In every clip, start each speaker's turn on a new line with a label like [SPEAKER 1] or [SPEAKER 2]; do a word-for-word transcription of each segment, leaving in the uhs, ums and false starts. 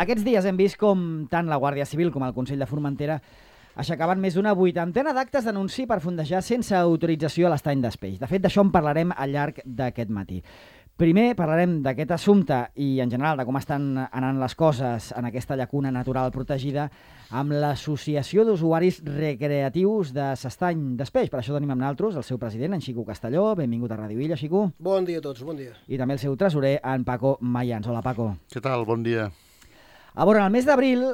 [SPEAKER 1] Aquests dies hem vist com tant la Guàrdia Civil com el Consell de Formentera aixecaven més d'una vuitantena d'actes d'anunci per fondejar sense autorització a l'estany d'Espeix. De fet, d'això en parlarem al llarg d'aquest matí. Primer parlarem d'aquest assumpte i, en general, de com estan anant les coses en aquesta llacuna natural protegida amb l'Associació d'Usuaris Recreatius de s'Estany d'Espeix. Per això tenim amb nosaltres el seu president, en Xico Castelló. Benvingut a Ràdio Illa, Xico.
[SPEAKER 2] Bon dia a tots, bon dia.
[SPEAKER 1] I també el seu tresorer, en Paco Mayans. Hola, Paco.
[SPEAKER 3] Què tal? Bon dia.
[SPEAKER 1] A veure, en el mes d'abril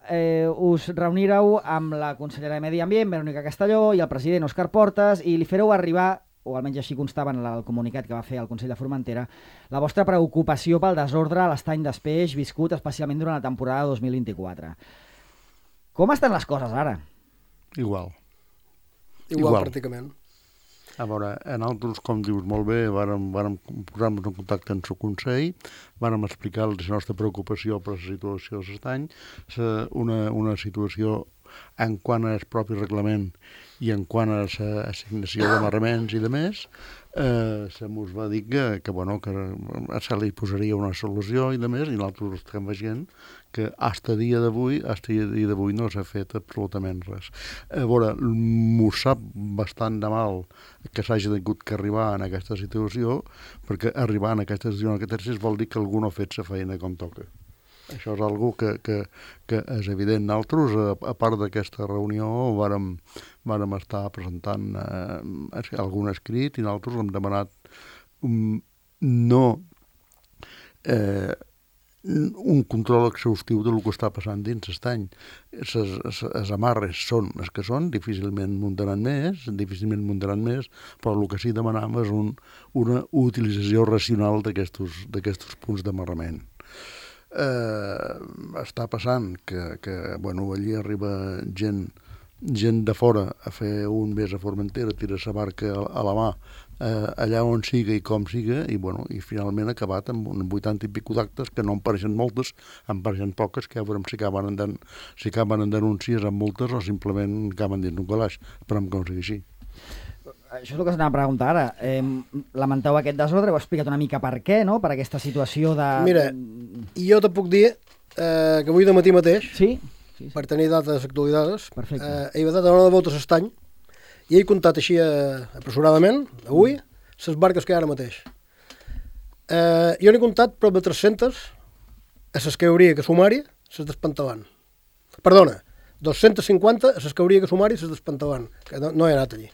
[SPEAKER 1] eh, us reunireu amb la consellera de Medi Ambient, Verònica Castelló, i el president Òscar Portas, i li fareu arribar, o almenys així constava en el comunicat que va fer el Consell de Formentera, la vostra preocupació pel desordre a l'estany d'Espeix viscut especialment durant la temporada dos mil vint-i-quatre. Com estan les coses ara?
[SPEAKER 3] Igual.
[SPEAKER 2] Igual,
[SPEAKER 3] Igual.
[SPEAKER 2] pràcticament.
[SPEAKER 3] A veure, nosaltres, com dius molt bé, vàrem, vàrem posar-nos en contacte amb el Consell, vàrem explicar la nostra preocupació per la situació de l'estany, una, una situació en quant al propi reglament i en quant a l'assignació d'amarraments i de més, eh, se mos va dir que, que, bueno, que se li posaria una solució i de més, i nosaltres estem veient que fins a dia d'avui, fins a dia d'avui no s'ha fet absolutament res. A veure, m'ho sap bastant de mal que s'hagi hagut que arribar en aquesta situació, perquè arribar en aquesta situació en aquest exercici vol dir que algú no ha fet la feina com toca. Això és algo que, que, que és evident. Nosaltres, a, a part d'aquesta reunió, vàrem, vàrem estar presentant eh, algun escrit i nosaltres hem demanat um, no eh, un control exhaustiu del que està passant dins l'estany. Les amarres són les que són, difícilment muntaran més, difícilment muntaran més, però el que sí demanam és un, una utilització racional d'aquests punts d'amarrament. Eh, està passant que, que bueno, allí arriba gent, gent de fora a fer un mes a Formentera, tira la barca a, a la mà, eh, allà on siga i com siga, i, bueno, i finalment ha acabat amb un vuitanta i pico d'actes, que no en pareixen moltes, en pareixen poques, que ja veurem si acaben en, den, si acaben en denúncies amb multes o simplement acaben dins un calaix. Esperem que no sigui així.
[SPEAKER 1] Això és el que s'anava a preguntar ara. Eh, lamenteu aquest desordre, heu explicat una mica per què, no?, per aquesta situació de...
[SPEAKER 2] Mira, jo te puc dir eh, que avui de matí mateix,
[SPEAKER 1] sí? Sí, sí.
[SPEAKER 2] Per tenir dates actualitzades,
[SPEAKER 1] Perfecte.
[SPEAKER 2] eh, he vetat a l'hora de voltes a l'estany i he comptat així eh, apressuradament, avui, les barques que hi ha ara mateix. Eh, jo n'he comptat prop de tres-centes a les que hauria que sumar-hi, les d'Espantalant. Perdona, dos-centes cinquanta a les que hauria que sumar-hi, les d'Espantalant, que no, no he anat allí.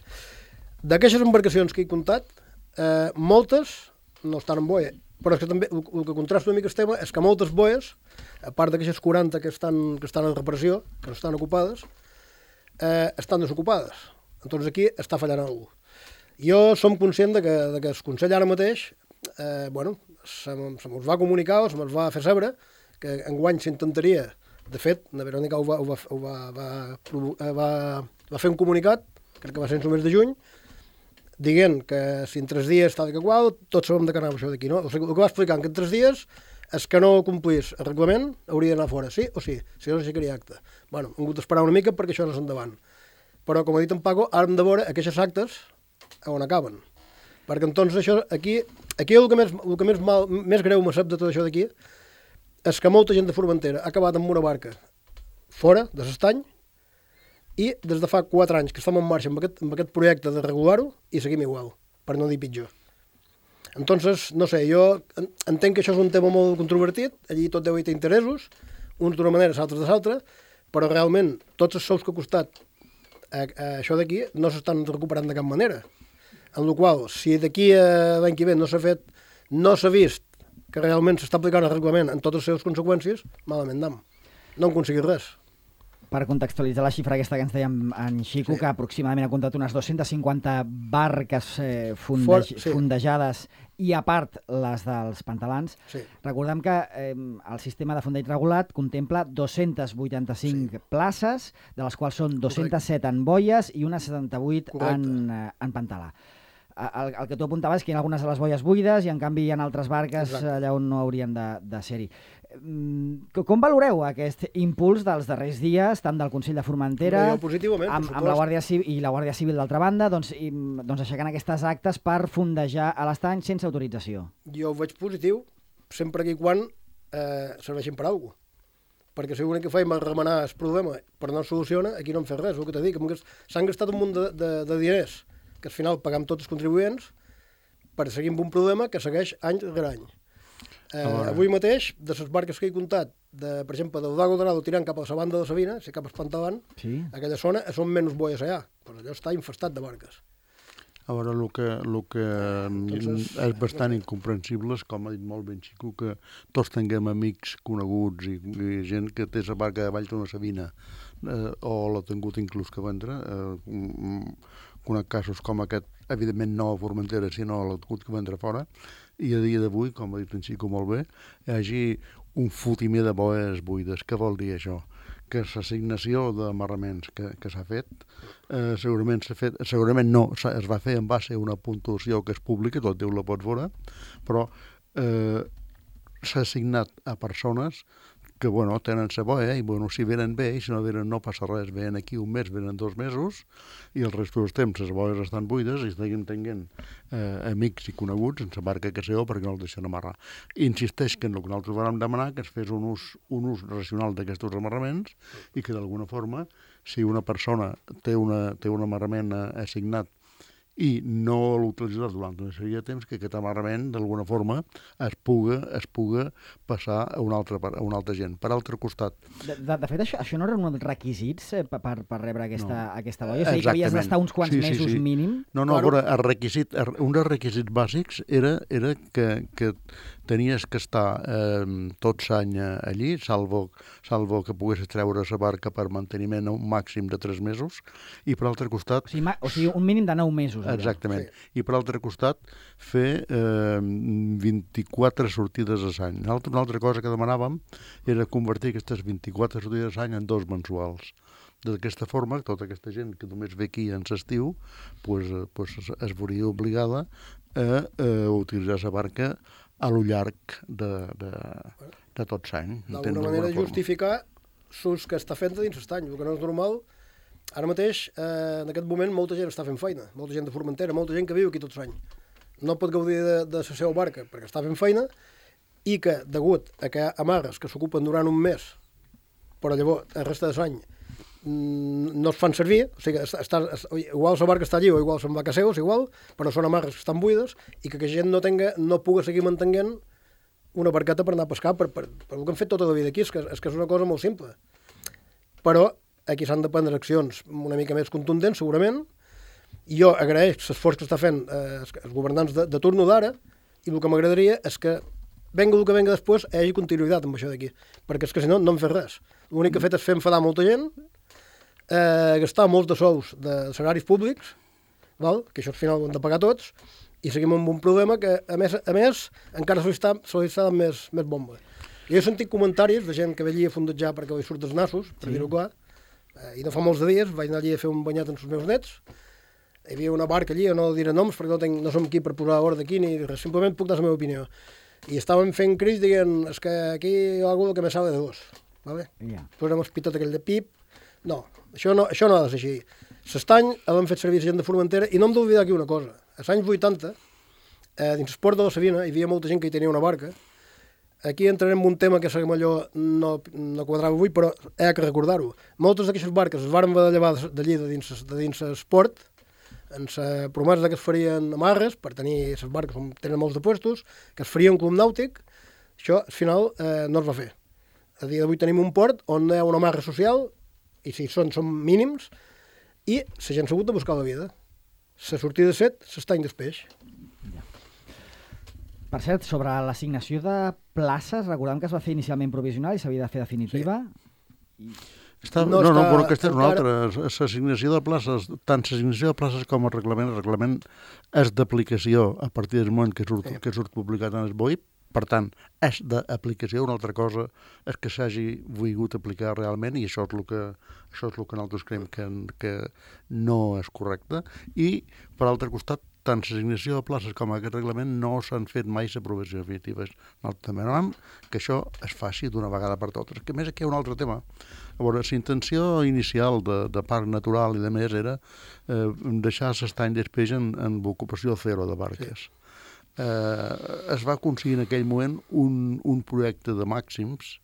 [SPEAKER 2] D'aquestes embarcacions que he comptat, eh, moltes no estan en boia, però és que també el, el que contrasta una mica el tema és que moltes boies, a part d'aquestes quaranta que estan, que estan en reparació, que no estan ocupades, eh, estan desocupades. Entonces aquí està fallant algú. Jo som conscient de que, de que el Consell ara mateix, eh, bueno, se, se mos va comunicar o se mos va fer saber que enguany s'intentaria, de fet, la Verònica ho va, ho va, ho va, va, va, va fer un comunicat, crec que va ser en el mes de juny, dient que si en tres dies tal i que qual, tots sabem de què anava això d'aquí, no? O sigui, el que va explicar que en tres dies és que no complís el reglament, hauria d'anar fora, sí o sí, si no s'aixecaria acte. Bueno, hem hagut d'esperar una mica perquè això no és endavant. Però, com ha dit en Paco, ara hem de veure aquests actes on acaben. Perquè entonces això, aquí, aquí el que més, el que més, mal, més greu me sap de tot això d'aquí és que molta gent de Formentera ha acabat amb una barca fora de l'estany i des de fa quatre anys que estem en marxa amb aquest, amb aquest projecte de regular-ho i seguim igual, per no dir pitjor. Entonces, no sé, jo entenc que això és un tema molt controvertit, allí tot deu haver interessos, uns d'una manera, altres de l'altra, però realment tots els sous que ha costat a, a això d'aquí no s'estan recuperant de cap manera. En la qual, si d'aquí a l'any que ve no s'ha fet, no s'ha vist que realment s'està aplicant el reglament en totes les seves conseqüències, malament anem. No hem aconseguit res.
[SPEAKER 1] Per contextualitzar la xifra aquesta que ens deia en Xico, sí, que aproximadament ha comptat unes dues-centes cinquanta barques eh, fundej
[SPEAKER 2] For, sí.
[SPEAKER 1] fondejades i a part les dels pantalans.
[SPEAKER 2] Sí.
[SPEAKER 1] Recordem que eh, el sistema de fondeig regulat contempla dos-centes vuitanta-cinc sí. places, de les quals són dos-centes set en boies i unes setanta-vuit en, eh, en pantalà. El, el que tu apuntaves és que hi ha algunes de les boies buides i en canvi hi ha altres barques Exacte. allà on no haurien de, de ser-hi. Com valoreu aquest impuls dels darrers dies, tant del Consell de Formentera
[SPEAKER 2] amb,
[SPEAKER 1] amb la Guàrdia Civil i la Guàrdia Civil d'altra banda, doncs, i, doncs aixecant aquestes actes per fondejar a l'estany sense autorització?
[SPEAKER 2] Jo ho veig positiu sempre que i quan eh, serveixin per a alguna cosa. perquè si l'únic que feim és remenar el problema però no es soluciona, aquí no hem fet res, el que t'he dit, que s'han gastat un munt de, de, de diners que al final pagam tots els contribuents per seguir amb un problema que segueix any rere any. Eh, avui mateix, de les barques que he comptat, de, per exemple, del Dago Dorado tirant cap a la banda de Sabina, si cap a Espantavant,
[SPEAKER 1] sí.
[SPEAKER 2] aquella zona són menys boies allà, però allò està infestat de barques.
[SPEAKER 3] A veure, el que, el que Entonces, és bastant incomprensible és, com ha dit molt ben Xico, que tots tinguem amics coneguts i, i gent que té la barca de Vall d'una Sabina, eh, o l'ha tingut inclús que vendre, eh, conec casos com aquest, evidentment no a Formentera, sinó l'ha tingut que vendre fora, i a dia d'avui, com ha dit en Xico molt bé, hi hagi un fotimer de boes buides. Què vol dir això? Que l'assignació d'amarraments que, que s'ha fet, eh, segurament s'ha fet, segurament no, es va fer en base a una puntuació que és pública, tot Déu la pot veure, però eh, s'ha assignat a persones que, bueno, tenen la boia i, bueno, si venen bé, i si no venen no passa res, venen aquí un mes, venen dos mesos, i el rest dels temps les boies estan buides i seguim tenint eh, amics i coneguts en la barca que seu perquè no el deixen amarrar. Insisteix que en el que nosaltres vam demanar que es fes un ús, un ús racional d'aquests amarraments i que d'alguna forma, si una persona té, una, té un amarrament assignat i no l'utilitzarà durant una sèrie de temps, que aquest amarrament, d'alguna forma, es puga, es puga passar a una altra, a una altra gent. Per altre costat...
[SPEAKER 1] De, de, de fet, això, això no eren uns requisits eh, per, per rebre aquesta, no. aquesta boia? És a dir,
[SPEAKER 3] Exactament.
[SPEAKER 1] que havies d'estar uns quants
[SPEAKER 3] sí, sí,
[SPEAKER 1] mesos
[SPEAKER 3] sí.
[SPEAKER 1] mínim?
[SPEAKER 3] No, no, claro. el requisit, un dels requisits bàsics era, era que, que tenies que estar eh, tot l'any allí, salvo, salvo que poguessis treure la barca per manteniment a un màxim de tres mesos, i per altre costat...
[SPEAKER 1] O sigui, ma, o sigui un mínim de nou mesos. Allà.
[SPEAKER 3] Exactament. Sí. I per altre costat, fer eh, vint-i-quatre sortides a l'any. Una altra cosa que demanàvem era convertir aquestes vint-i-quatre sortides a l'any en dos mensuals. D'aquesta forma, tota aquesta gent que només ve aquí en l'estiu, pues, pues es veuria obligada a, a utilitzar la barca a lo llarg de, de, de tot l'any.
[SPEAKER 2] D'alguna manera justificar l'ús que està fent dins l'estany, el que no és normal. Ara mateix, eh, en aquest moment, molta gent està fent feina, molta gent de Formentera, molta gent que viu aquí tot l'any. No pot gaudir de, de la seva barca perquè està fent feina i que, degut a que hi ha amarres que s'ocupen durant un mes, però llavors, el resta de l'any, no es fan servir, o sigui, està, està, igual la barca està allí o igual se'n va a casa seus, igual, però són amarres que estan buides i que la gent no, tenga, no pugui seguir mantenint una barqueta per anar a pescar, per, per, per el que han fet tota la vida aquí, és que, és que és una cosa molt simple. Però aquí s'han de prendre accions una mica més contundents, segurament. Jo agraeix l'esforç que està fent eh, els governants de, de turno d'ara, i el que m'agradaria és que, venga el que venga després, hi hagi continuïtat amb això d'aquí, perquè és que si no, no hem fet res. L'únic que ha fet és fer enfadar molta gent, eh, gastar molts de sous de salaris públics, val? Que això al final ho hem de pagar tots, i seguim amb un problema que, a més, a més encara se li està, se li està dant més, més bomba. Jo he sentit comentaris de gent que ve allí a fondejar perquè li surt dels nassos, per sí. dir-ho clar, eh, i no fa molts de dies vaig anar allí a fer un banyat amb els meus nets. Hi havia una barca allí, no diré noms perquè no, tenc, no som aquí per posar ordre aquí ni res, simplement puc dar la meva opinió. I estàvem fent crits dient, és que aquí hi ha algú que me sabe de dos. Vale? Yeah. Posem el pitot aquell de pip. No, això no, això no ha de ser així. S'estany l'hem fet servir gent de Formentera i no hem d'oblidar aquí una cosa. Als anys vuitanta, eh, dins el port de la Sabina, hi havia molta gent que hi tenia una barca. Aquí entrarem en un tema que segur allò no, no quadrava avui, però he de recordar-ho. Moltes d'aquestes barques es varen haver de llevar d'allí de dins, de dins el port, en la promesa que es farien amarres, per tenir les barques on tenen molts de puestos, que es faria un club nàutic. Això, al final, eh, no es va fer. A dia d'avui tenim un port on hi ha una amarra social, i si són, són mínims, i la gent s'ha hagut de buscar la vida. La sortida de set s'estany despeix.
[SPEAKER 1] Per cert, sobre l'assignació de places, recordem que es va fer inicialment provisional i s'havia de fer definitiva. Sí.
[SPEAKER 3] Està, no, no, no, però aquesta és una altra. L'assignació de places, tant l'assignació de places com el reglament, el reglament és d'aplicació a partir del moment que surt, sí. que surt publicat en el B O I P. Per tant, és d'aplicació. Una altra cosa és que s'hagi volgut aplicar realment, i això és el que, això és el que nosaltres creiem que, que no és correcte. I, per altre costat, tant l'assignació de places com aquest reglament no s'han fet mai l'aprovació definitiva. Nosaltres també demanem que això es faci d'una vegada per totes. Que a més aquí hi ha un altre tema. A veure, la intenció inicial de, de parc natural i de més era eh, deixar l'estany d'espeix en, en ocupació zero de barques. Sí. Eh, es va aconseguir en aquell moment un, un projecte de màxims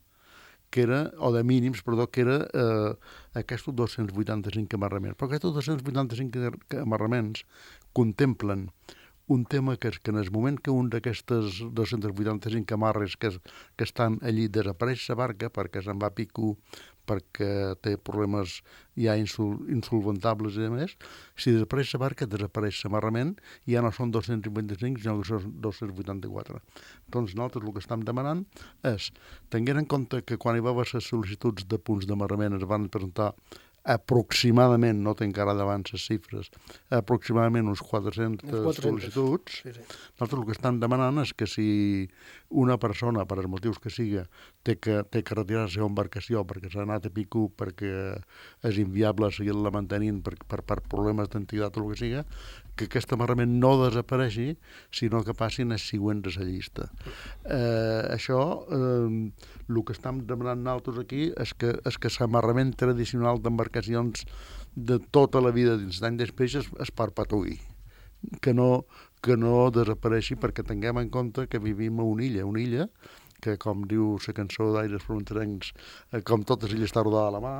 [SPEAKER 3] que era, o de mínims, perdó, que era eh, aquests dos-cents vuitanta-cinc amarraments. Però aquests dos-cents vuitanta-cinc amarraments contemplen un tema que és que en el moment que un d'aquestes dos-cents vuitanta-cinc amarres que, es, que estan allí desapareix la barca perquè se'n va a pico, perquè té problemes ja insul, insolventables i demés, si desapareix la barca, desapareix l'amarrament i ja no són dos-cents vuitanta-cinc, sinó que són dos-cents vuitanta-quatre. Doncs nosaltres el que estem demanant és, tenint en compte que quan hi va haver les sol·licituds de punts d'amarrament es van presentar aproximadament, no tinc ara davant les xifres, aproximadament uns quatre-centes sol·licituds. Sí, sí. Nosaltres el que estan demanant és que si una persona, per als motius que siga, té que, té que retirar la seva embarcació perquè s'ha anat a pico, perquè és inviable seguir-la mantenint per, per, per problemes d'antiguitat o el que siga, que aquest amarrament no desapareixi, sinó que passin els següents a la llista. Eh, això, eh, el que estem demanant nosaltres aquí és que, és que l'amarrament tradicional d'embarcacions de tota la vida dins d'any després es, es perpetuï, que no, que no desapareixi, perquè tinguem en compte que vivim a una illa, una illa que, com diu la cançó d'Aires Fronterencs, eh, com totes illes està rodada a la mà,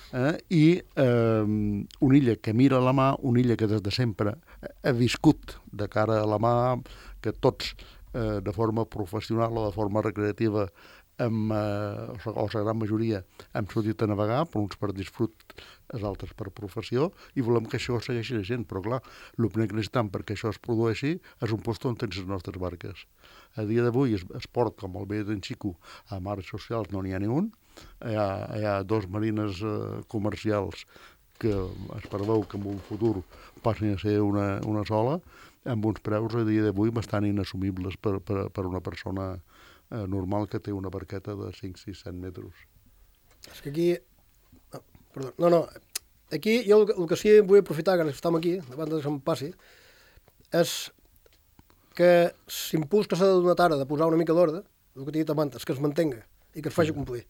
[SPEAKER 3] Eh, i eh, una illa que mira a la mà, una illa que des de sempre ha viscut de cara a la mà, que tots eh, de forma professional o de forma recreativa amb, eh, o la gran majoria hem sortit a navegar, per uns per disfrut, els altres per professió, i volem que això segueixi la gent, però clar, el primer que necessitem perquè això es produeixi és un lloc on tens les nostres barques. A dia d'avui es, es port, com el bé d'en Xico, a mares socials no n'hi ha ni un, hi ha, hi ha dos marines eh, comercials que es preveu que en un futur passin a ser una, una sola, amb uns preus a dia d'avui bastant inassumibles per, per, per una persona eh, normal que té una barqueta de cinc, sis, set metres.
[SPEAKER 2] És que aquí... No, perdó, no, no. Aquí jo el, el que sí vull aprofitar, que estem aquí, davant de que se'm passi, és que l'impuls que s'ha de donar ara de posar una mica d'ordre, el que t'he dit abans, és que es mantenga i que es faci complir.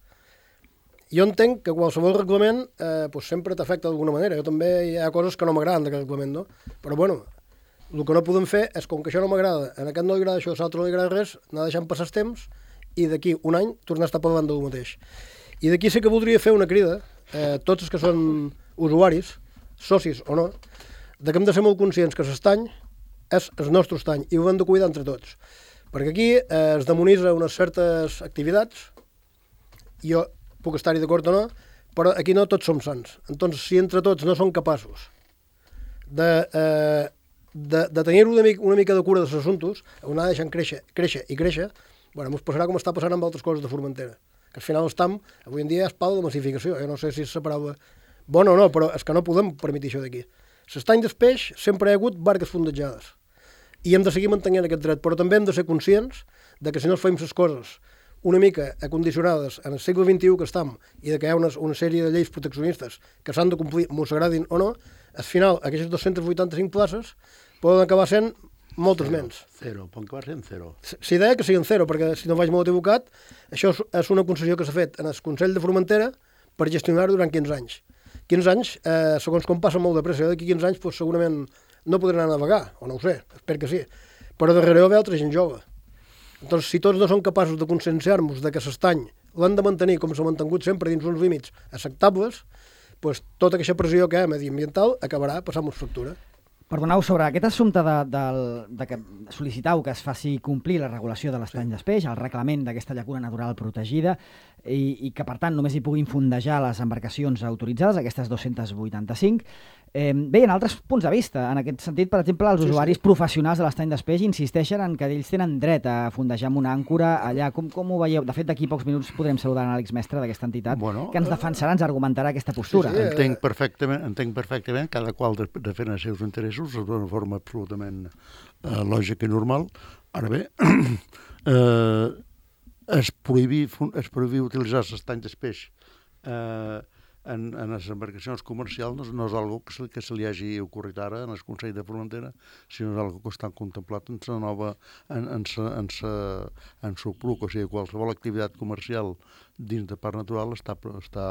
[SPEAKER 2] Jo entenc que qualsevol reglament eh, pues sempre t'afecta d'alguna manera. Jo també hi ha coses que no m'agraden d'aquest reglament, no? Però bueno, el que no podem fer és, com que això no m'agrada, en aquest no li agrada això, a l'altre no li agrada res, anar deixant passar el temps i d'aquí un any tornar a estar per davant del mateix. I d'aquí sí que voldria fer una crida, eh, tots els que són usuaris, socis o no, de que hem de ser molt conscients que l'estany és el nostre estany i ho hem de cuidar entre tots. Perquè aquí eh, es demonitza unes certes activitats, i jo puc estar-hi d'acord o no, però aquí no tots som sants. Entonces, si entre tots no som capaços de, eh, de, de tenir una mica, una mica de cura dels assumptes, anar deixant créixer, créixer i créixer, bueno, ens passarà com està passant amb altres coses de Formentera. Que al final estam, avui en dia és pau de massificació. Jo no sé si és la paraula bona o no, però és que no podem permetre això d'aquí. L'estany del peix sempre hi ha hagut barques fondejades. I hem de seguir mantenint aquest dret, però també hem de ser conscients de que si no fem les coses una mica acondicionades en el segle vint-i-u que estem i de que hi ha una, una sèrie de lleis proteccionistes que s'han de complir, mos agradin o no, al final aquestes dos-cents vuitanta-cinc places poden acabar sent moltes
[SPEAKER 3] zero,
[SPEAKER 2] menys.
[SPEAKER 3] Zero, poden acabar sent zero.
[SPEAKER 2] Si deia que siguin zero, perquè si no vaig molt equivocat, això és una concessió que s'ha fet en el Consell de Formentera per gestionar-ho durant quinze anys. quinze anys, eh, segons com passa molt de pressa, d'aquí quinze anys pues, segurament no podré anar a navegar, o no ho sé, espero que sí, però darrere hi ha altra gent jove. Doncs si tots no som capaços de conscienciar-nos de que l'estany l'han de mantenir com s'ha mantingut sempre dins uns límits acceptables, doncs tota aquesta pressió que hi ha mediambiental acabarà passant-nos factura.
[SPEAKER 1] Perdoneu, sobre aquest assumpte de, de, de que sol·licitau que es faci complir la regulació de l'estany sí. d'Espeix, el reglament d'aquesta llacuna natural protegida, i, i que per tant només hi puguin fondejar les embarcacions autoritzades, aquestes dos-cents vuitanta-cinc. Eh, bé, en altres punts de vista, en aquest sentit, per exemple, els sí, usuaris sí. professionals de l'estany d'Espeix insisteixen en que ells tenen dret a fondejar amb una àncora allà. Com, com ho veieu? De fet, d'aquí pocs minuts podrem saludar l'Àlex Mestre d'aquesta entitat, bueno, que ens defensarà, ens argumentarà aquesta postura.
[SPEAKER 3] Sí, sí, entenc perfectament, entenc perfectament, cada qual defensa els seus interessos d'una forma absolutament eh, lògica i normal. Ara bé, eh, es prohibir, es prohibir utilitzar l'estany d'Espeix eh, en, en les embarcacions comercials no, no és algo que se, que se li hagi ocorrit ara en el Consell de Formentera, sinó és algo que està contemplat en la nova, en, en sa, en sa, en sa P R U C, o sigui, qualsevol activitat comercial dins de parc natural està, està,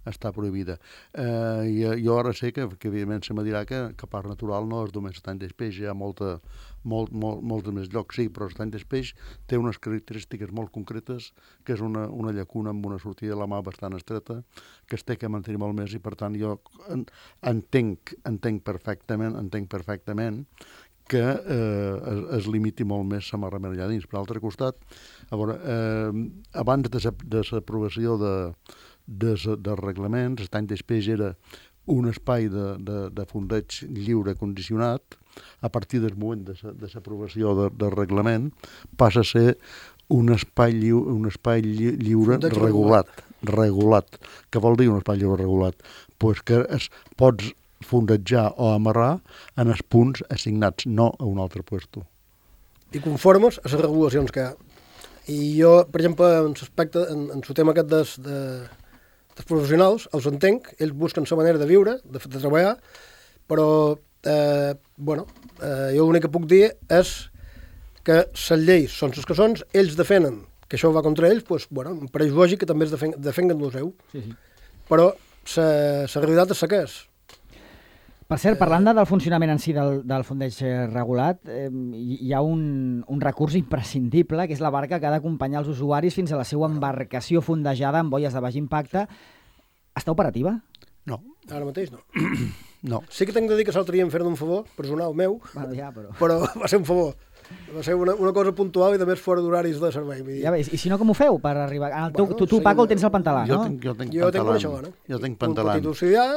[SPEAKER 3] està prohibida. Eh, i, jo ara sé que, que evidentment se me dirà que, que parc natural no és només estany d'espeix, hi ha molta, molt, molt, molts més llocs, sí, però estany d'espeix té unes característiques molt concretes, que és una, una llacuna amb una sortida de la mà bastant estreta, que es té que mantenir molt més, i per tant jo en, entenc, entenc perfectament, entenc perfectament que eh, es, es limiti molt més la marramera allà dins. Per l'altre costat, a veure, eh, abans de l'aprovació de, de, de reglaments, l'estany d'espeix era un espai de, de, de fondeig lliure condicionat. A partir del moment de l'aprovació de, de reglament passa a ser un espai, lliu, un espai lli, lliure regulat, regulat. Què vol dir un espai lliure regulat? Pues que es, pots fondejar o amarrar en els punts assignats, no a un altre puesto.
[SPEAKER 2] I conformes a les regulacions que hi ha. I jo, per exemple, en l'aspecte, en, en el tema aquest des, de, dels professionals, els entenc, ells busquen la manera de viure, de, de treballar, però, eh, bueno, eh, jo l'únic que puc dir és que les lleis són les que són, ells defenen que això va contra ells, doncs, bueno, em pareix lògic que també es defen, defenguen el seu. Sí, sí. Però la realitat és la que és.
[SPEAKER 1] Per cert, parlant de, del funcionament en si del, del fondeig regulat, eh, hi ha un, un recurs imprescindible, que és la barca que ha d'acompanyar els usuaris fins a la seva embarcació fondejada amb boies de baix impacte. Està operativa?
[SPEAKER 3] No.
[SPEAKER 2] Ara mateix no.
[SPEAKER 3] No.
[SPEAKER 2] Sí que tinc de dir que l'altre dia em feren un favor, personal meu,
[SPEAKER 1] bueno, ja, però...
[SPEAKER 2] però va ser un favor. Va ser una, una cosa puntual i de més fora d'horaris de servei.
[SPEAKER 1] Ja veus, i si no, com ho feu per arribar? El teu, bueno, tu, tu sí, Paco, el tens al pantalà,
[SPEAKER 3] jo
[SPEAKER 1] no?
[SPEAKER 3] Tinc, jo tinc
[SPEAKER 2] jo
[SPEAKER 3] pantalà.
[SPEAKER 2] Tinc una
[SPEAKER 3] jo tinc pantalà.
[SPEAKER 2] Un petit auxiliar.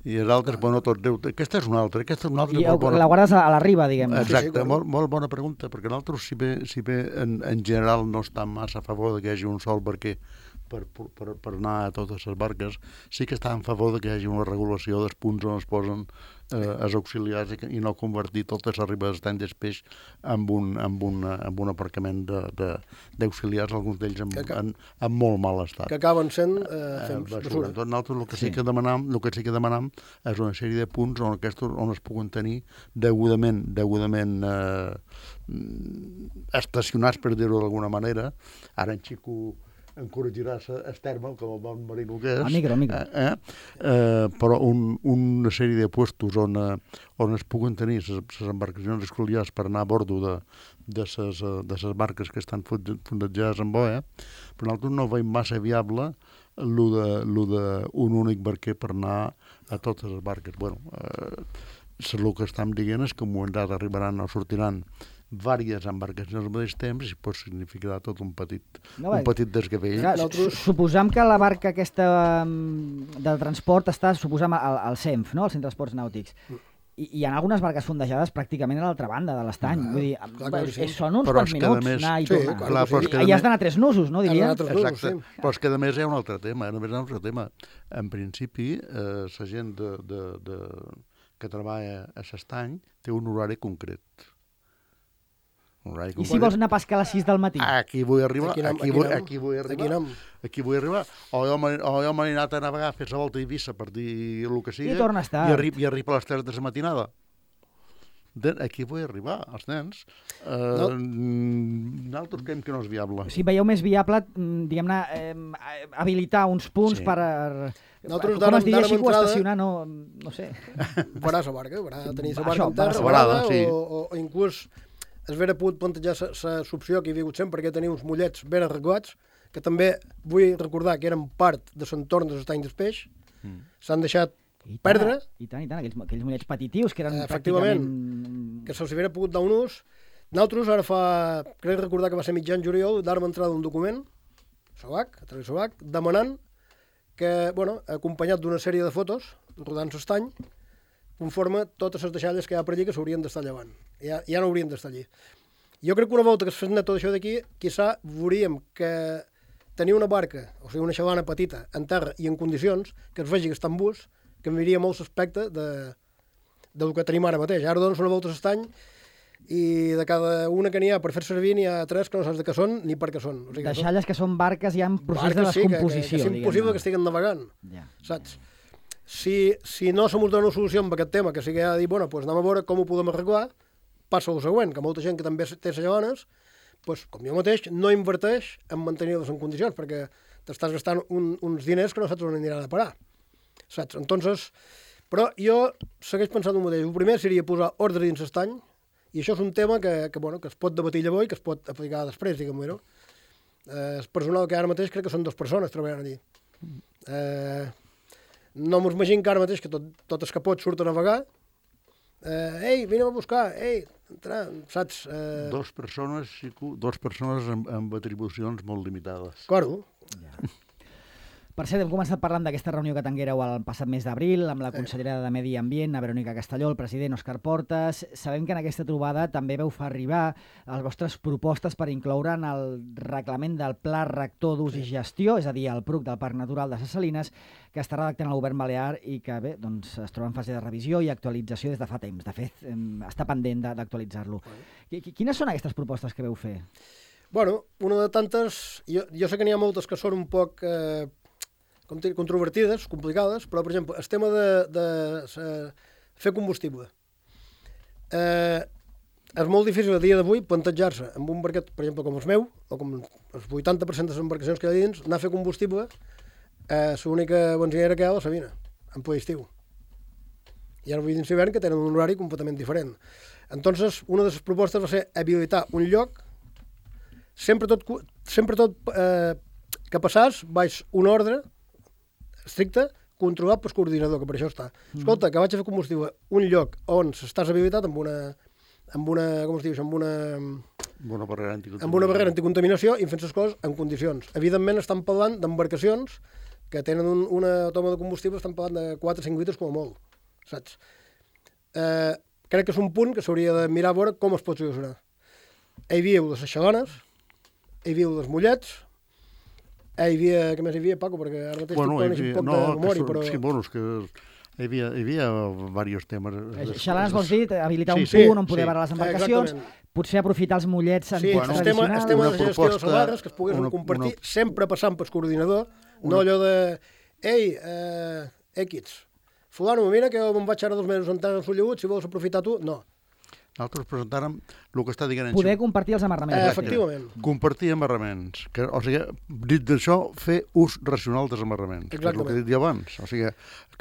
[SPEAKER 3] I els altres, bueno, tots deu... Aquesta és una altra, aquesta és una altra.
[SPEAKER 1] I bona... la guardes a la riba, diguem.
[SPEAKER 3] Exacte, sí, sí, molt, molt bona pregunta, perquè nosaltres, si bé, si bé en, en general no estan massa a favor de que hi hagi un sol barquer per, per, per anar a totes les barques, sí que està en favor de que hi hagi una regulació dels punts on es posen eh, els auxiliars i, que, i no convertir totes les ribes d'estany d'espeix en un, en un, en un aparcament d'auxiliars, alguns d'ells en, en, en molt mal estat.
[SPEAKER 2] Que acaben sent eh, fent
[SPEAKER 3] eh, basura. Tot nosaltres el que sí, sí que demanam, el que sí que demanam és una sèrie de punts on, aquests, on es puguen tenir degudament, degudament eh, estacionats, per dir-ho d'alguna manera. Ara en Xico encoratjarà el terme, com el bon marino que és.
[SPEAKER 1] El micro, el micro.
[SPEAKER 3] Eh, eh, però un, una sèrie de puestos on, on es puguen tenir les embarcacions escoliars per anar a bordo de, de ses, de ses barques que estan fondejades en boia, però nosaltres no veiem massa viable lo de, lo de un únic barquer per anar a totes les barques. Bueno, eh, el que estem dient és que en un moment dat arribaran o sortiran diverses embarcacions al mateix temps i pot significar tot un petit, no, un petit desgavell.
[SPEAKER 1] Clar, nosaltres... Suposam que la barca aquesta del transport està, suposam, al, al C E N F, no? Al Centre d'Esports Nàutics. I hi ha algunes barques fondejades pràcticament a l'altra banda de l'estany. Vull dir, clar, clar, sí. Són uns
[SPEAKER 3] però
[SPEAKER 1] quants minuts
[SPEAKER 3] més...
[SPEAKER 1] anar i
[SPEAKER 3] sí,
[SPEAKER 1] tornar.
[SPEAKER 3] Clar, sí.
[SPEAKER 1] I, I has d'anar a tres nusos, no, diria?
[SPEAKER 3] Exacte, nusos, sí. Però és que a més hi ha un altre tema. A més hi ha un altre tema. En principi, eh, la gent de, de, de, que treballa a l'estany té un horari concret.
[SPEAKER 1] I si vols anar a pescar a les sis del matí?
[SPEAKER 3] Aquí vull arribar, aquí, aquí, vull, aquí vull arribar, aquí vull arribar. O jo m'he anat a navegar, a fer la volta a Eivissa, per dir el que sigui,
[SPEAKER 1] i tornes tard.
[SPEAKER 3] I arribo, i arribo a les tres de la matinada. Aquí vull arribar, els nens. Uh, no. Nosaltres creiem que no és viable.
[SPEAKER 1] Si veieu més viable, diguem-ne, eh, habilitar uns punts sí. per...
[SPEAKER 2] Nosaltres
[SPEAKER 1] com es diria així, o estacionar, no, no sé.
[SPEAKER 2] Varà la barca, varà tenir la barca en terra, varada, sí. o, o, o inclús es vera pogut plantejar l'opció que hi havia hagut sempre, perquè tenia uns mollets ben arreglats, que també vull recordar que eren part de l'entorn de l'estany d'espeix, mm. s'han deixat I perdre.
[SPEAKER 1] Tant, I tant, i tant, aquells, aquells mollets petitius que eren
[SPEAKER 2] efectivament,
[SPEAKER 1] pràcticament...
[SPEAKER 2] que se'ls havia pogut dar un ús. Nosaltres, ara fa, crec recordar que va ser mitjan juliol, d'ara entrada un document, SOAC, a través de SOAC, demanant que, bueno, acompanyat d'una sèrie de fotos, rodant l'estany, conforme totes les deixalles que hi ha per allí que s'haurien d'estar llevant. Ja, ja no haurien d'estar allí. Jo crec que una volta que es fes net tot això d'aquí, quizà veuríem que tenir una barca, o sigui, una xavana petita, en terra i en condicions, que es vegi que està en bus, canviaria molt l'aspecte de, del que tenim ara mateix. Ara dones una volta a l'estany i de cada una que n'hi ha per fer servir n'hi ha tres que no saps de què són ni per què són. O sigui,
[SPEAKER 1] deixalles que són barques ja en procés barques, de descomposició.
[SPEAKER 2] Sí, que, que, que és impossible que estiguen navegant, ja. Saps? Si, si no se mos dona una solució amb aquest tema, que sigui a dir, bueno, doncs anem a veure com ho podem arreglar, passa el següent, que molta gent que també té xavanes, doncs, com jo mateix, no inverteix en mantenir-les en condicions, perquè t'estàs gastant un, uns diners que no saps on aniran a parar. Saps? Entonces, però jo segueix pensant el mateix. El primer seria posar ordre dins l'estany, i això és un tema que, que, bueno, que es pot debatir llavors i que es pot aplicar després, diguem-ho. No? Eh, el personal que ara mateix crec que són dues persones treballant allí. Eh, no m'ho imagino que ara mateix que tot, tot els capots surten a navegar. Eh, ei, vine a buscar, ei, entra, saps? Eh...
[SPEAKER 3] Dos persones, dos persones amb, amb atribucions molt limitades.
[SPEAKER 2] Claro.
[SPEAKER 1] Ja. Per cert, hem començat parlant d'aquesta reunió que tinguéreu el passat mes d'abril amb la consellera de Medi Ambient, a Verònica Castelló, el president Òscar Portas. Sabem que en aquesta trobada també veu fer arribar les vostres propostes per incloure en el reglament del Pla Rector d'Ús i Gestió, és a dir, el P R U C del Parc Natural de ses Salines, que està redactant el govern balear i que bé, doncs, es troba en fase de revisió i actualització des de fa temps. De fet, està pendent d'actualitzar-lo. Quines són aquestes propostes que veu fer?
[SPEAKER 2] Bueno, una de tantes... Jo, jo sé que n'hi ha moltes que són un poc... Eh, controvertides, complicades, però, per exemple, el tema de, de, de fer combustible. Eh, és molt difícil a dia d'avui plantejar-se amb un barquet, per exemple, com el meu, o com el vuitanta per cent de les embarcacions que hi ha dins, anar a fer combustible, eh, l'única benzinera que hi ha a la Sabina, en ple estiu. I ara vull dins l'hivern que tenen un horari completament diferent. Entonces, una de les propostes va ser habilitar un lloc, sempre tot, sempre tot eh, que passàs, baix un ordre, estricte, controlat pel coordinador, que per això està. Escolta, que vaig a fer combustible un lloc on s'estàs habilitat amb una, amb una, com es diu, amb una...
[SPEAKER 3] Una barrera anticontaminació.
[SPEAKER 2] Amb una barrera anticontaminació i fent les coses en condicions. Evidentment estan parlant d'embarcacions que tenen un, una toma de combustible, estan parlant de quatre o cinc litres com a molt, saps? Eh, crec que és un punt que s'hauria de mirar a veure com es pot solucionar. Hi havia les xalones, hi havia els mollets. Hi havia, què més hi havia, Paco? Perquè ara mateix bueno, tu coneixes un poc no, de memòria, però...
[SPEAKER 3] Sí, bueno, és que hi havia, hi havia diversos temes.
[SPEAKER 1] Xalans vols dir, habilitar
[SPEAKER 3] sí,
[SPEAKER 1] un punt
[SPEAKER 3] sí,
[SPEAKER 1] on poder
[SPEAKER 3] sí.
[SPEAKER 1] parar les embarcacions, exactament. Potser aprofitar els mollets
[SPEAKER 2] sí,
[SPEAKER 1] antics
[SPEAKER 2] bueno,
[SPEAKER 1] tradicionals...
[SPEAKER 2] Sí, el tema de la gestió de salvarres, que es poguessin una, compartir, una... sempre passant pel coordinador, una... no allò de... Ei, eh, equids, fulano, mira que me'n vaig ara dos mesos entrant en Sollegut, si vols aprofitar tu... No.
[SPEAKER 3] Nosaltres presentàrem el que està dient...
[SPEAKER 1] Poder compartir els amarraments.
[SPEAKER 2] Eh, efectivament.
[SPEAKER 3] Compartir amarraments. Que, o sigui, dit d'això, fer ús racional dels amarraments. Exactament. Que és el que he dit jo abans. O sigui,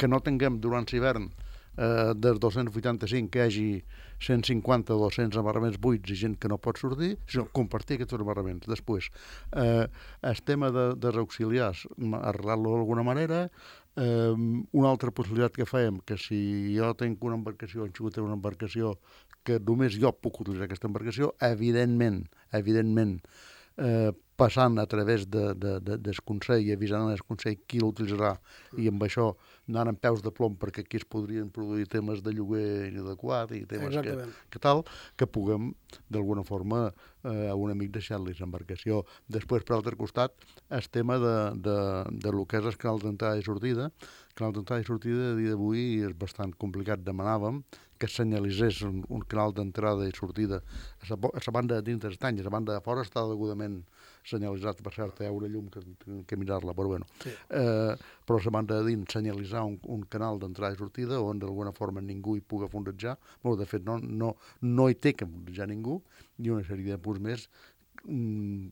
[SPEAKER 3] que no tinguem durant l'hivern eh, dels dos-cents vuitanta-cinc que hi hagi cent cinquanta o dos-cents amarraments buits i gent que no pot sortir, sinó compartir aquests amarraments. Després, eh, el tema de, dels auxiliars, arreglar-lo d'alguna manera. Eh, una altra possibilitat que fèiem, que si jo tinc una embarcació, han sigut una embarcació que només jo puc utilitzar aquesta embarcació, evidentment, evidentment, eh, passant a través de, de, de, del Consell i avisant el Consell qui l'utilitzarà i amb això anant en peus de plom perquè aquí es podrien produir temes de lloguer inadequat i temes que, que tal, que puguem d'alguna forma eh, a un amic deixar-li l'embarcació. Després, per l'altre costat, el tema de, de, de lo que és el canal d'entrada i sortida. El canal d'entrada i sortida a dia d'avui és bastant complicat. Demanàvem que es senyalitzés un, un canal d'entrada i sortida a la, a la banda de dins dels estanys, a la banda de fora està degudament senyalitzat, per cert, hi ha una llum que, que mirar-la, però bueno. Sí. Eh, però a la banda de dins senyalitzar un, un canal d'entrada i sortida on d'alguna forma ningú hi pugui fondejar, bueno, de fet no, no, no hi té que fondejar ningú, i una sèrie de punts més mm,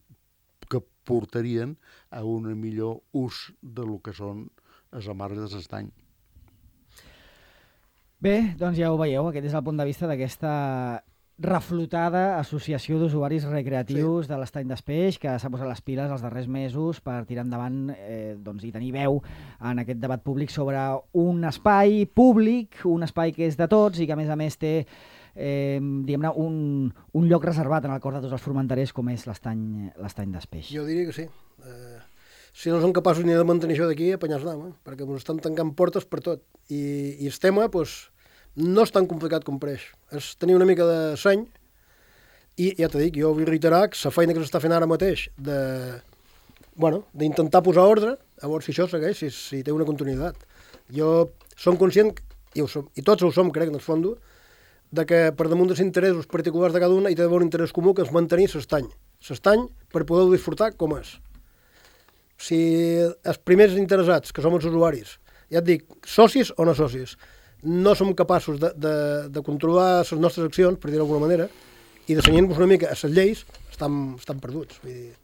[SPEAKER 3] que portarien a un millor ús de lo que són les amarres de l'estany.
[SPEAKER 1] Bé, doncs ja ho veieu, aquest és el punt de vista d'aquesta reflotada associació d'usuaris recreatius sí. de l'estany d'Espeix, que s'ha posat les piles els darrers mesos per tirar endavant eh, doncs, i tenir veu en aquest debat públic sobre un espai públic, un espai que és de tots i que a més a més té eh, diguem-ne un, un lloc reservat en el cor de tots els formenterers com és l'estany l'estany d'Espeix.
[SPEAKER 2] Jo diria que sí. Eh, si no són capaços ni de mantenir això d'aquí, apanyar-se-nam, eh? Perquè ens estan tancant portes per tot. I, i el tema, doncs, no és tan complicat com pareix. És tenir una mica de seny i, ja t'ho dic, jo vull reiterar que la feina que s'està fent ara mateix de, bueno, d'intentar posar ordre, a veure si això segueix, si, si té una continuïtat. Jo som conscient, i, ho som, i tots ho som, crec, en el fons, de que per damunt dels interessos particulars de cada una hi té d'haver un interès comú que és mantenir l'estany. L'estany per poder-ho disfrutar com és. Si els primers interessats, que som els usuaris, ja et dic, socis o no socis, no som capaços de, de, de controlar les nostres accions, per dir d'alguna manera, i de senyir-nos una mica a les lleis, estan, estan perduts. Vull dir.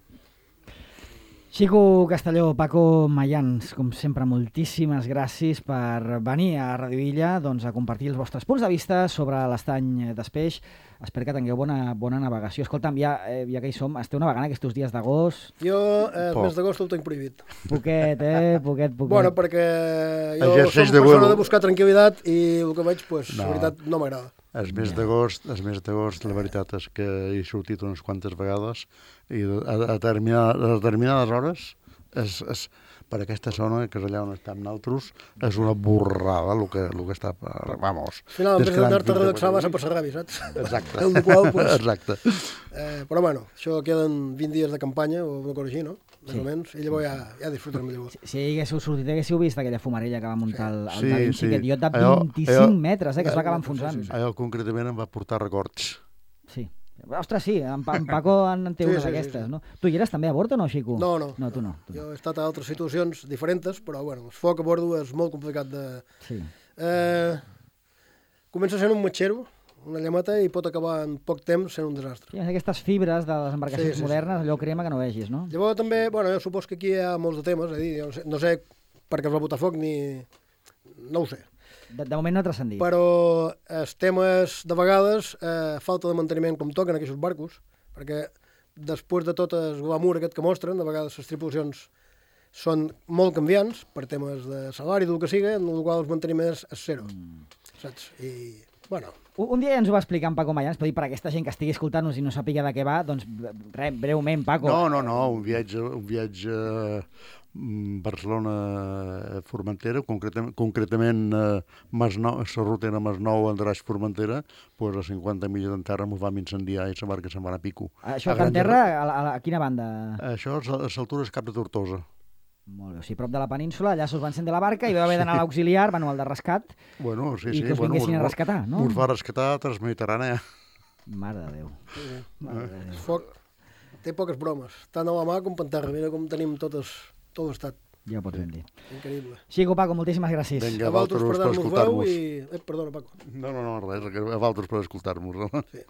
[SPEAKER 1] Xico Castelló, Paco Mayans, com sempre, moltíssimes gràcies per venir a Radio Illa doncs, a compartir els vostres punts de vista sobre l'estany d'Espeix. Espero que tingueu bona, bona navegació. Escolta'm, ja, eh, ja que hi som, esteu navegant aquests dies d'agost?
[SPEAKER 2] Jo, eh, el mes d'agost ho tinc prohibit.
[SPEAKER 1] Poquet, eh? Poquet, poquet.
[SPEAKER 2] Bueno, perquè jo
[SPEAKER 3] Exerceix
[SPEAKER 2] som
[SPEAKER 3] de
[SPEAKER 2] persona
[SPEAKER 3] vuelo.
[SPEAKER 2] de buscar tranquil·litat i el que veig, pues,
[SPEAKER 3] No.
[SPEAKER 2] la veritat, no m'agrada.
[SPEAKER 3] El mes d'agost, el mes d'agost, la veritat és que he sortit unes quantes vegades i a, a, determinar, a determinades hores, és, és, per aquesta zona, que és allà on estem nosaltres, és una borrada el que, el que està... Vamos.
[SPEAKER 2] Al final, en vez
[SPEAKER 3] descarant
[SPEAKER 2] d'anar-te a
[SPEAKER 3] fins a
[SPEAKER 2] relaxar, vas a
[SPEAKER 3] Madrid.
[SPEAKER 2] passar ràbia, saps?
[SPEAKER 3] Exacte.
[SPEAKER 2] El qual, pues,
[SPEAKER 3] Exacte.
[SPEAKER 2] eh, però bueno, això queden vint dies de campanya, o una cosa així, no? Més
[SPEAKER 1] Sí.
[SPEAKER 2] o menys, i llavors ja, ja disfrutarem llavors.
[SPEAKER 1] Si, si haguéssiu sortit, haguéssiu vist aquella fumarella que va muntar el, el
[SPEAKER 3] Sí,
[SPEAKER 1] Da Vinci,
[SPEAKER 3] sí.
[SPEAKER 1] aquest iot de
[SPEAKER 3] Allò-
[SPEAKER 1] vint-i-cinc
[SPEAKER 3] allò-
[SPEAKER 1] metres, eh, que es va acabar enfonsant.
[SPEAKER 2] Sí, sí, sí.
[SPEAKER 3] Allò concretament em va portar records.
[SPEAKER 1] Sí. Ostres, sí, en, Pa- en Paco en, en té
[SPEAKER 2] Sí,
[SPEAKER 1] una
[SPEAKER 2] sí, sí,
[SPEAKER 1] d'aquestes,
[SPEAKER 2] sí.
[SPEAKER 1] no? Tu hi eres també a bord o no, Xico?
[SPEAKER 2] No, no.
[SPEAKER 1] No, tu no. Tu no.
[SPEAKER 2] Jo he estat a altres situacions diferents, però bueno, el foc a bordo és molt complicat de...
[SPEAKER 1] Sí.
[SPEAKER 2] Eh, comença sent un matxero, una llamata, i pot acabar en poc temps sent un desastre.
[SPEAKER 1] Sí, aquestes fibres de les embarcacions
[SPEAKER 2] Sí, sí, sí.
[SPEAKER 1] modernes, allò crema que no vegis, no?
[SPEAKER 2] Llavors també, bueno, jo supos que aquí hi ha molts de temes, és a dir, jo no sé, no sé per què es va botar foc ni... no ho sé.
[SPEAKER 1] De, de moment no ha transcendit.
[SPEAKER 2] Però els temes, de vegades, eh, falta de manteniment com toquen aquests barcos, perquè després de tot el glamour aquest que mostren, de vegades les tripulacions són molt canviants per temes de salari, del que sigui, en el qual el manteniment és, és zero, mm. saps? I, bueno,
[SPEAKER 1] Un, un dia ja ens ho va explicar en Paco Mayans, però dir per aquesta gent que estigui escoltant-nos i no sàpiga de què va, doncs res, breument, Paco.
[SPEAKER 3] No, no, no, un viatge, un viatge mm, Barcelona-Formentera, concretament, concretament eh, Masnou, la ruta era Masnou, Andràs, Formentera, pues a cinquanta milles en terra ens vam incendiar i la barca se'n va anar a pico.
[SPEAKER 1] Això
[SPEAKER 3] A
[SPEAKER 1] que en
[SPEAKER 3] Gran
[SPEAKER 1] terra, a, la- a, la- a quina banda?
[SPEAKER 3] Això és a les altures Cap de Tortosa.
[SPEAKER 1] Molt bé, o sigui, prop de la península, allà se'ls va encendre la barca i va haver d'anar a l'auxiliar, manual de rescat,
[SPEAKER 3] Bueno, sí,
[SPEAKER 1] i
[SPEAKER 3] sí.
[SPEAKER 1] que us
[SPEAKER 3] bueno,
[SPEAKER 1] vinguessin a
[SPEAKER 3] us-
[SPEAKER 1] rescatar, no?
[SPEAKER 3] Us va rescatar Transmediterrània.
[SPEAKER 1] Mare de Déu. Mare de
[SPEAKER 2] el
[SPEAKER 1] Déu.
[SPEAKER 2] foc té poques bromes, tant a la mà com per terra, mira com tenim totes, tot l'estat,
[SPEAKER 1] Ja ho pots ben dir.
[SPEAKER 2] increïble.
[SPEAKER 1] Xico, Paco, moltíssimes gràcies.
[SPEAKER 3] Vinga,
[SPEAKER 2] A
[SPEAKER 3] a vosaltres
[SPEAKER 2] vosaltres per
[SPEAKER 3] per
[SPEAKER 2] dar-nos veu
[SPEAKER 3] escoltar-nos.
[SPEAKER 2] i... Eh, perdona, Paco.
[SPEAKER 3] No, no, no, res, a vosaltres per escoltar-nos.
[SPEAKER 2] Sí.